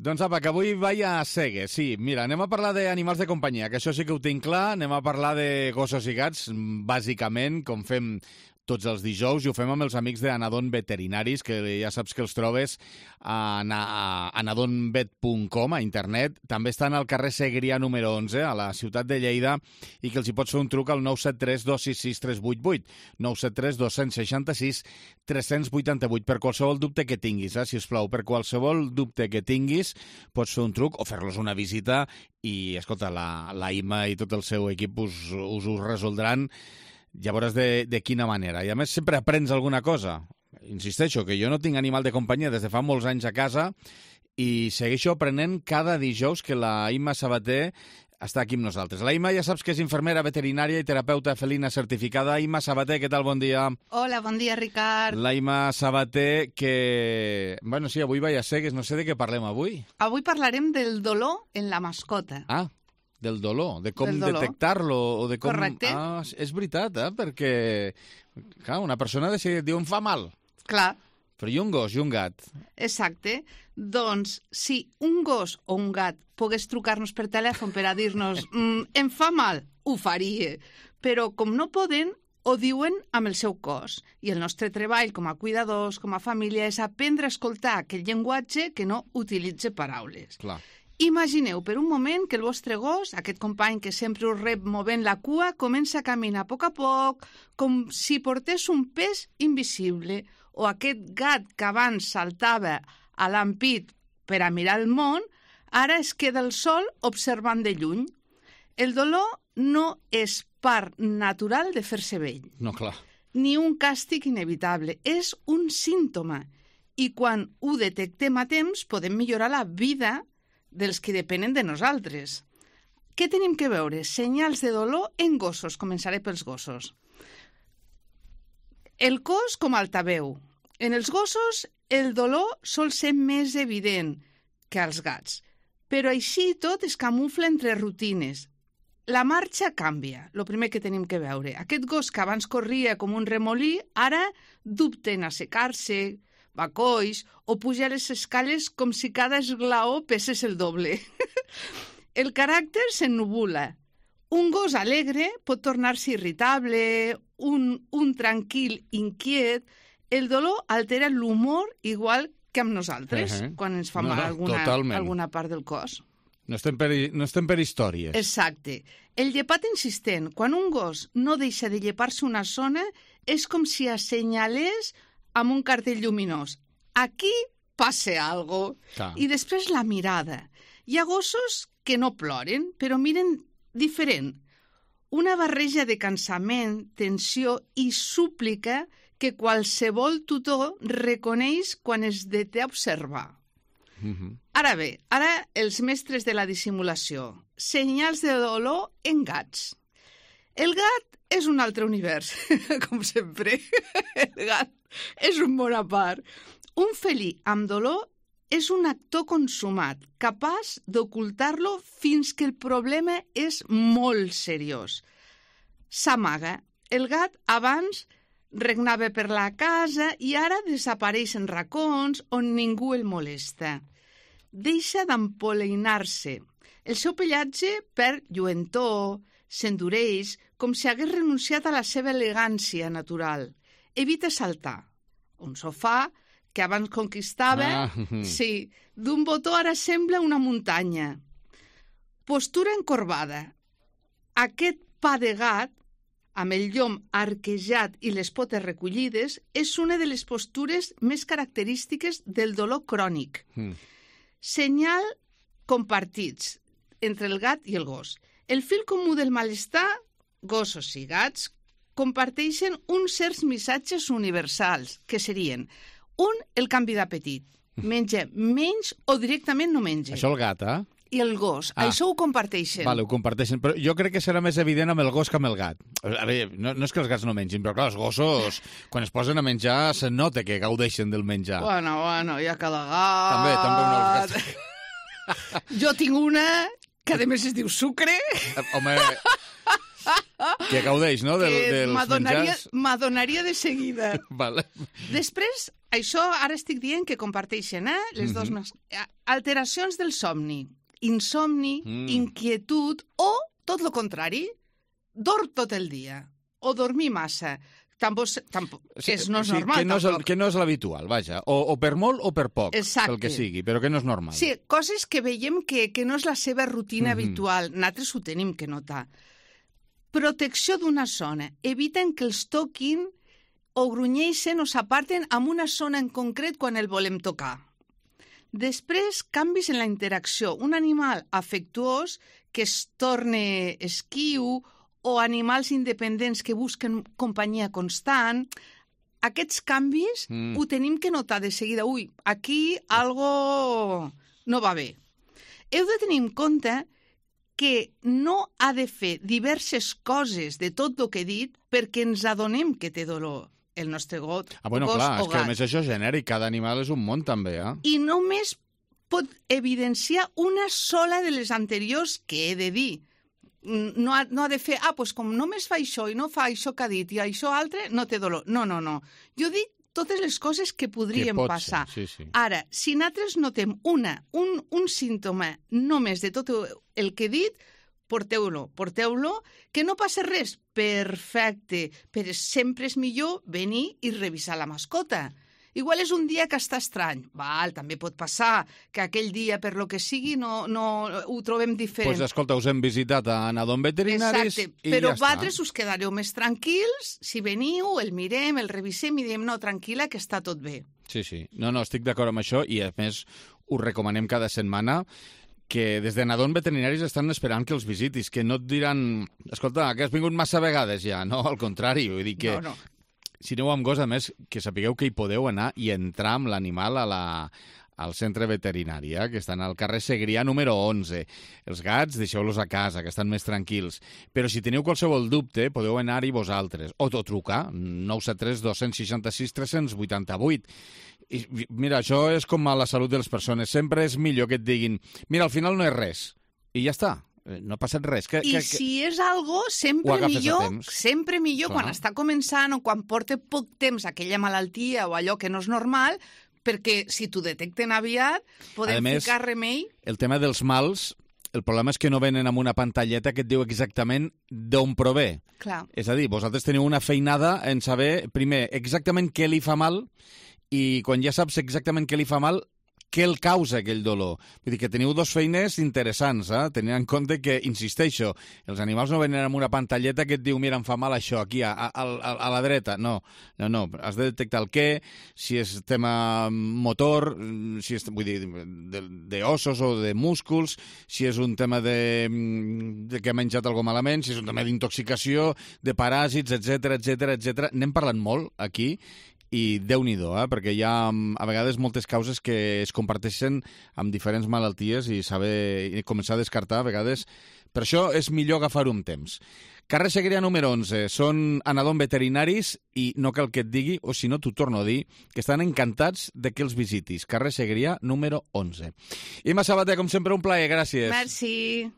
Doncs apa, que avui vaig a Segues, sí. Mira, anem a parlar d'animals de companyia, que això sí que ho tinc clar. Anem a parlar de gossos i gats, bàsicament, com fem tots els dijous, i ho fem amb els amics d'Anadon Veterinaris, que ja saps que els trobes a anadonvet.com, a internet. També estan al carrer Segrià número 11, a la ciutat de Lleida, i que els hi pots fer un truc al 973 266 388, 973 266 388, per qualsevol dubte que tinguis, sisplau, per qualsevol dubte que tinguis, pots fer un truc o fer-los una visita i, escolta, la Ima i tot el seu equip us ho resoldran. Ja veuràs de quina manera. I a més sempre aprens alguna cosa. Insisteixo que jo no tinc animal de companyia des de fa molts anys a casa i segueixo aprenent cada dijous que la Imma Sabater està aquí amb nosaltres. La Imma ja saps que és infermera veterinària i terapeuta felina certificada. Imma Sabater, què tal? Bon dia. Hola, bon dia, Ricard. La Imma Sabater, que... Bueno, sí, avui vaig a Segues, no sé de què parlem avui. Avui parlarem del dolor en la mascota. Ah, del dolor, de com detectar-lo o de com... Correcte. Ah, és veritat, perquè clar, una persona et diu em fa mal. Clar. Però i un gos i un gat? Exacte. Doncs si un gos o un gat pogués trucar-nos per telèfon per a dir-nos em fa mal, ho faria. Però com no poden, ho diuen amb el seu cos. I el nostre treball com a cuidadors, com a família, és aprendre a escoltar aquell llenguatge que no utilitza paraules. Clar. Imagineu per un moment que el vostre gos, aquest company que sempre us rep movent la cua, comença a caminar a poc, com si portés un pes invisible, o aquest gat que abans saltava a l'ampit per a mirar el món, ara es queda al sol observant de lluny. El dolor no és part natural de fer-se vell. No, clar. Ni un càstig inevitable, és un símptoma. I quan ho detectem a temps, podem millorar la vida dels que depenen de nosaltres. Què tenim que veure? Senyals de dolor en gossos. Començaré pels gossos. El cos com altaveu. En els gossos el dolor sol ser més evident que als gats, però així tot es camufla entre rutines. La marxa canvia, el primer que tenim que veure. Aquest gos que abans corria com un remolí, ara dubta en assecar-se, va coix o puja les escales com si cada esglaó pesés el doble. El caràcter s'ennubula. Un gos alegre pot tornar-se irritable, un tranquil inquiet. El dolor altera l'humor igual que amb nosaltres, quan ens fa mal alguna part del cos. No estem per històries. Exacte. El llepat insistent. Quan un gos no deixa de llepar-se una zona, és com si assenyalés amb un cartell lluminós. Aquí passa algo. I després la mirada. Hi ha gossos que no ploren, però miren diferent. Una barreja de cansament, tensió i súplica que qualsevol tutor reconeix quan es deté a observar. Ara bé, ara els mestres de la dissimulació. Senyals de dolor en gats. El gat és un altre univers, com sempre. El gat és un món a part. Un felí amb dolor és un actor consumat, capaç d'ocultar-lo fins que el problema és molt seriós. S'amaga. El gat abans regnava per la casa i ara desapareix en racons on ningú el molesta. Deixa d'empolainar-se. El seu pellatge perd lluentor, s'endureix, com si hagués renunciat a la seva elegància natural. Evita saltar. Un sofà que abans conquistava, sí, d'un botó ara sembla una muntanya. Postura encorbada. Aquest pa de gat, amb el llom arquejat i les potes recollides, és una de les postures més característiques del dolor crònic. Senyal compartits entre el gat i el gos. El fil comú del malestar, gossos i gats, comparteixen uns certs missatges universals, que serien el canvi d'apetit. Menja menys o directament no menja. Això el gat, I el gos. Això ho comparteixen. Vale, ho comparteixen. Però jo crec que serà més evident amb el gos que amb el gat. A veure, no és que els gats no mengin, però clar, els gossos, quan es posen a menjar, se nota que gaudeixen del menjar. Bueno, hi ha cada gat. També un dels gats. Jo tinc una que a més es diu Sucre. Home, que gaudeix, no?, dels menjars. M'adonaria de seguida. Vale. Després, això ara estic dient que comparteixen, les dos més. Alteracions del somni, insomni, inquietud o, tot el contrari, dorm tot el dia o dormir massa. Tampoc, que no és normal. Que no és l'habitual, vaja. O per molt o per poc, exacte, el que sigui, però que no és normal. Sí, coses que veiem que no és la seva rutina habitual. Nosaltres ho tenim que notar. Protecció d'una zona. Eviten que els toquin o grunyeixen o s'aparten amb una zona en concret quan el volem tocar. Després, canvis en la interacció. Un animal afectuós que es torna esquiu o animals independents que busquen companyia constant, aquests canvis ho tenim que notar de seguida. Ui, aquí algo no va bé. Heu de tenir en compte que no ha de fer diverses coses de tot el que he dit perquè ens adonem que té dolor el nostre gos clar, o és que gat. a més això és genèric, cada animal és un món també, I només pot evidenciar una sola de les anteriors que he de dir. No ha de fer, doncs com només fa això i no fa això que ha dit i això altre, no té dolor. No. Jo dic totes les coses que podrien passar. Sí, sí. Ara, si nosaltres notem un símptoma només de tot el que he dit, porteu-lo, que no passa res. Perfecte, però sempre és millor venir i revisar la mascota. Igual és un dia que està estrany. També pot passar que aquell dia, per lo que sigui, no ho trobem diferent. Doncs escolta, us hem visitat a Nadon Veterinaris. Exacte, però vosaltres us quedareu més tranquils si veniu, el mirem, el revisem i diem, no, tranquil·la, que està tot bé. Sí. No, estic d'acord amb això i, a més, us recomanem cada setmana que des de Nadon Veterinaris estan esperant que els visitis, que no et diran, escolta, que has vingut massa vegades ja. No, al contrari, vull dir que... No. Si aneu amb gos, a més, que sapigueu que hi podeu anar i entrar amb l'animal al centre veterinari, que estan al carrer Segrià número 11. Els gats, deixeu-los a casa, que estan més tranquils. Però si teniu qualsevol dubte, podeu anar-hi vosaltres. O trucar, 973 266 388. I, mira, això és com a la salut de les persones. Sempre és millor que et diguin, mira, al final no és res. I ja està. No ha passat res. Si és algo, sempre millor quan està començant o quan porta poc temps aquella malaltia o allò que no és normal, perquè si t'ho detecten aviat, podem ficar remei. El tema dels mals, el problema és que no venen amb una pantalleta que et diu exactament d'on prové. Clar. És a dir, vosaltres teniu una feinada en saber, primer, exactament què li fa mal i quan ja saps exactament què li fa mal, què el causa aquell dolor. Vull dir que teniu dos feines interessants, tenint en compte que, insisteixo, els animals no venen amb una pantalleta que et diu, mira, em fa mal això, aquí, a la dreta. No. Has de detectar el què, si és tema motor, si és, vull dir, d'ossos o de músculs, si és un tema de que ha menjat alguna malament, si és un tema d'intoxicació, de paràsits, etc. N'hem parlat molt aquí, i Déu-n'hi-do, perquè hi ha a vegades moltes causes que es comparteixen amb diferents malalties i començar a descartar a vegades. Per això és millor agafar-ho amb temps. Carrer Segrià número 11, són a Nadon Veterinaris i no cal que et digui, o si no t'ho torno a dir, que estan encantats de que els visitis. Carrer Segrià número 11. Imma Sabater, com sempre, un plaer, gràcies. Merci.